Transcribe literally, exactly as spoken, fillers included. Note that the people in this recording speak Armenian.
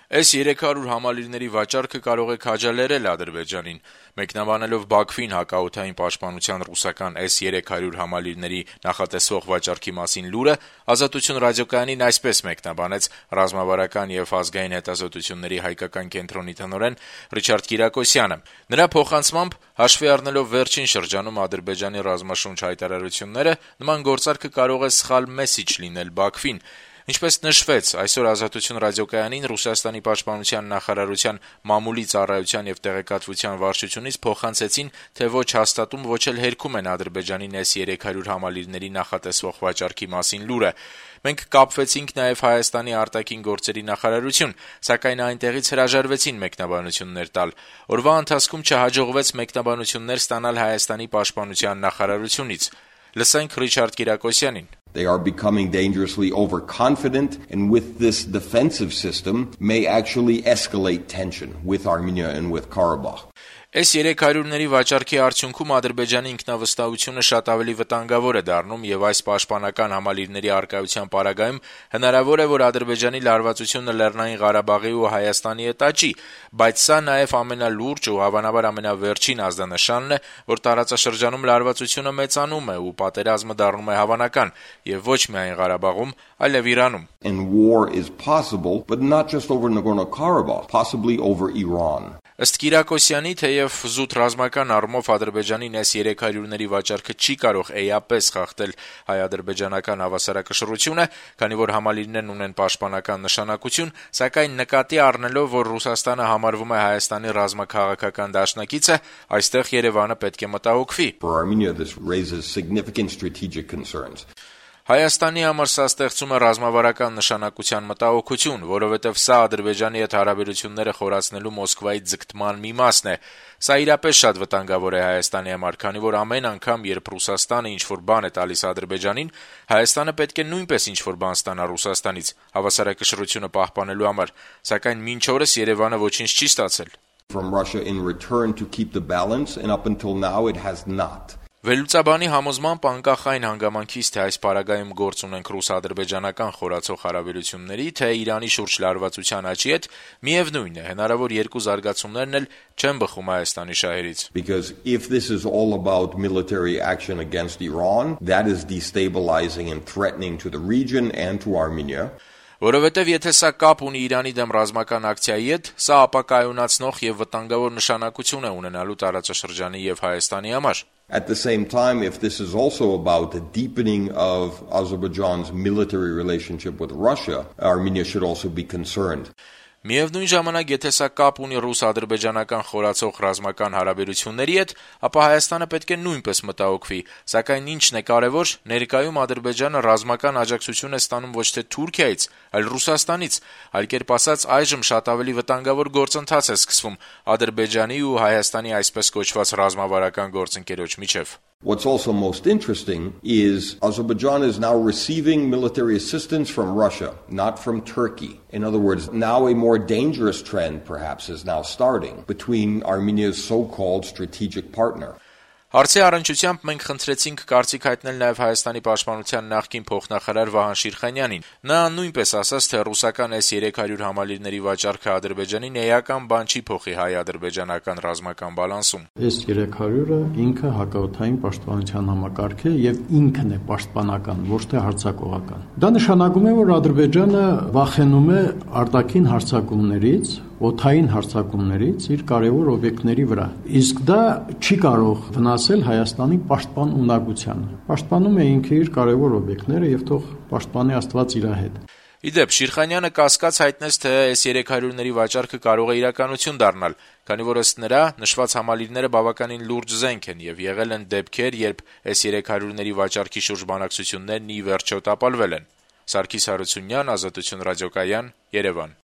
Էս երեք հարյուր համալիրների վաճառքը կարող է քաջալերել Ադրբեջանին։ Մեկնաբանելով Բաքվին հակաօդային պաշտպանության ռուսական էս երեք հարյուր համալիրների նախատեսվող վաճառքի մասին լուրը, Ազատություն ռադիոկայանին այսպես մեկնաբանեց ռազմավարական եւ ազգային հետազոտությունների հայկական կենտրոնի տնօրեն Ռիչարդ Կիրակոսյանը։ Նրա փոխանցմամբ, հաշվի առնելով վերջին շրջանում Ադրբեջանի ռազմաշունչ հայտարարությունները, նման գործարքը կարող է սխալ մեսիջ լինել Բաքվին։ Ինչպես նշվեց, այսօր Ազատություն ռադիոկայանին Ռուսաստանի պաշտպանության նախարարության մամուլի ծառայության եւ տեղեկատվության վարչությունից փոխանցեցին, թե ոչ հաստատում, ոչ էլ հերքում են Ադրբեջանին էս երեք հարյուր համալիրների նախատեսվող վաճառքի մասին լուրը։ Մենք կապվեցինք նաեւ Հայաստանի արտաքին գործերի նախարարություն, սակայն այնտեղից հրաժարվեցին մեկնաբանություններ տալ։ Օրվա ընթացքում չհաջողվեց մեկնաբանություններ ստանալ Հայաստանի պաշտպանության նախարարությունից։ Լսենք Ռիչարդ Կիրակոսյանին։ They are becoming dangerously overconfident, and with this defensive system may actually escalate tension with Armenia and with Karabakh. Էս երեք հարյուրների վաճառքի արդյունքում Ադրբեջանի ինքնավստահությունը շատ ավելի վտանգավոր է դառնում եւ այս պաշտպանական համալիրների առկայության պարագայում հնարավոր է, որ Ադրբեջանի լարվածությունը Լեռնային Ղարաբաղի ու Հայաստանի հետ աճի, բայց սա նաեւ ամենալուրջ ու հավանաբար ամենավերջին ազդանշանն է, որ տարածաշրջանում լարվածությունը մեծանում է ու պատերազմը դառնում է հավանական եւ ոչ միայն Ղարաբաղում, այլև Իրանում։ And war is possible, but not just over Nagorno-Karabakh, possibly over Iran. Ըստ Կիրակոսյանի, թեև զուտ ռազմական առումով Ադրբեջանին էս երեք հարյուրների վաճառքը չի կարող էապես խախտել հայ-ադրբեջանական հավասարակշռությունը, քանի որ համալիրներն ունեն պաշտպանական նշանակություն, սակայն նկատի առնելով, որ Ռուսաստանը համարվում է Հայաստանի ռազմաքաղաքական դաշնակիցը, այստեղ Երևանը պետք է մտահոգվի։ For Armenia, this raises significant strategic concerns. Հայաստանի համար սա ստեղծում է ռազմավարական նշանակության մտահոգություն, որովհետև սա Ադրբեջանի հետ հարաբերությունները խորացնելու Մոսկվայի ձգտման մի մասն է։ Սա իրապես շատ վտանգավոր է Հայաստանի համար, քանի որ ամեն անգամ, երբ Ռուսաստանը ինչ-որ բան է տալիս Ադրբեջանին, Հայաստանը պետք է նույնպես ինչ-որ բան ստանա Ռուսաստանից հավասարակշռությունը պահպանելու համար, սակայն մինչ օրս Երևանը ոչինչ չի ստացել։ From Russia in return to keep the balance, and up until now it has not. Վերլուծաբանի համոզմամբ անկախ այն հանգամանքից, թե այս պարագայում գործ ունենք ռուս-ադրբեջանական խորացող հարաբերությունների, թե Իրանի շուրջ լարվածության աճի հետ, միևնույն է, հնարավոր երկու զարգացումներն էլ չեն բխում Հայաստանի շահերից։ Because if this is all about military action against Iran, that is destabilizing and threatening to the region and to Armenia. Որովհետև եթե սա կապ ունի Իրանի դեմ ռազմական ակցիայի հետ, սա ապակայունացնող եւ վտանգավոր նշանակություն է ունենալու տարածաշրջանի եւ Հայաստանի համար։ At the same time, if this is also about the deepening of Azerbaijan's military relationship with Russia, Armenia should also be concerned. Միևնույն ժամանակ, եթե սա կապ ունի ռուս-ադրբեջանական խորացող ռազմական հարաբերությունների հետ, ապա Հայաստանը պետք է նույնպես մտահոգվի, սակայն ինչն է կարևոր, ներկայում Ադրբեջանը ռազմական աջակցություն է ստանում ոչ թե Թուրքիայից, այլ Ռուսաստանից, այլ կերպ ասած, այժմ շատ ավելի վտանգավոր գործընթաց է սկսվում Ադրբեջանի ու Հայաստանի այսպես կոչված ռազմավարական գործընկերոջ միջև։ What's also most interesting is Azerbaijan is now receiving military assistance from Russia, not from Turkey. In other words, now a more dangerous trend perhaps is now starting between Armenia's so-called strategic partner. Հարցի առնչությամբ մենք խնդրեցինք կարծիք հայտնել նաև Հայաստանի պաշտպանության նախկին փոխնախարար Վահան Շիրխանյանին։ Նա նույնպես ասաց, թե ռուսական էս երեք հարյուր համալիրների վաճառքը Ադրբեջանին էական բան չի փոխի հայ-ադրբեջանական ռազմական բալանսում։ Էս երեք հարյուրը ինքը հակաօդային պաշտպանության համակարգ է եւ ինքն է պաշտպանական, ոչ թե հարձակողական։ Դա նշանակում է, որ Ադրբեջանը վախենում է արտաքին հարձակումներից, օդային հարձակումներից իր կարևոր օբյեկտների վրա։ Իսկ դա չի կարող վնասել Հայաստանի պաշտպան ունակությանը։ Պաշտպանում է ինքը իր կարևոր օբյեկտները եւ թող պաշտպանի Աստված իր հետ։ Իդեպ Շիրխանյանը կասկած հայտնեց, թե էս երեք հարյուրների վաճառքը կարող է իրականություն դառնալ, քանի որ ըստ նրա նշված համալիրները բավականին լուրջ զենք են եւ եղել են դեպքեր, երբ էս երեք հարյուրների վաճառքի շուրջ բանակցություններն ի վերջո տապալվել են։ Սարգիս Հարությունյան, Ազատություն ռադիոկայան, Երևան։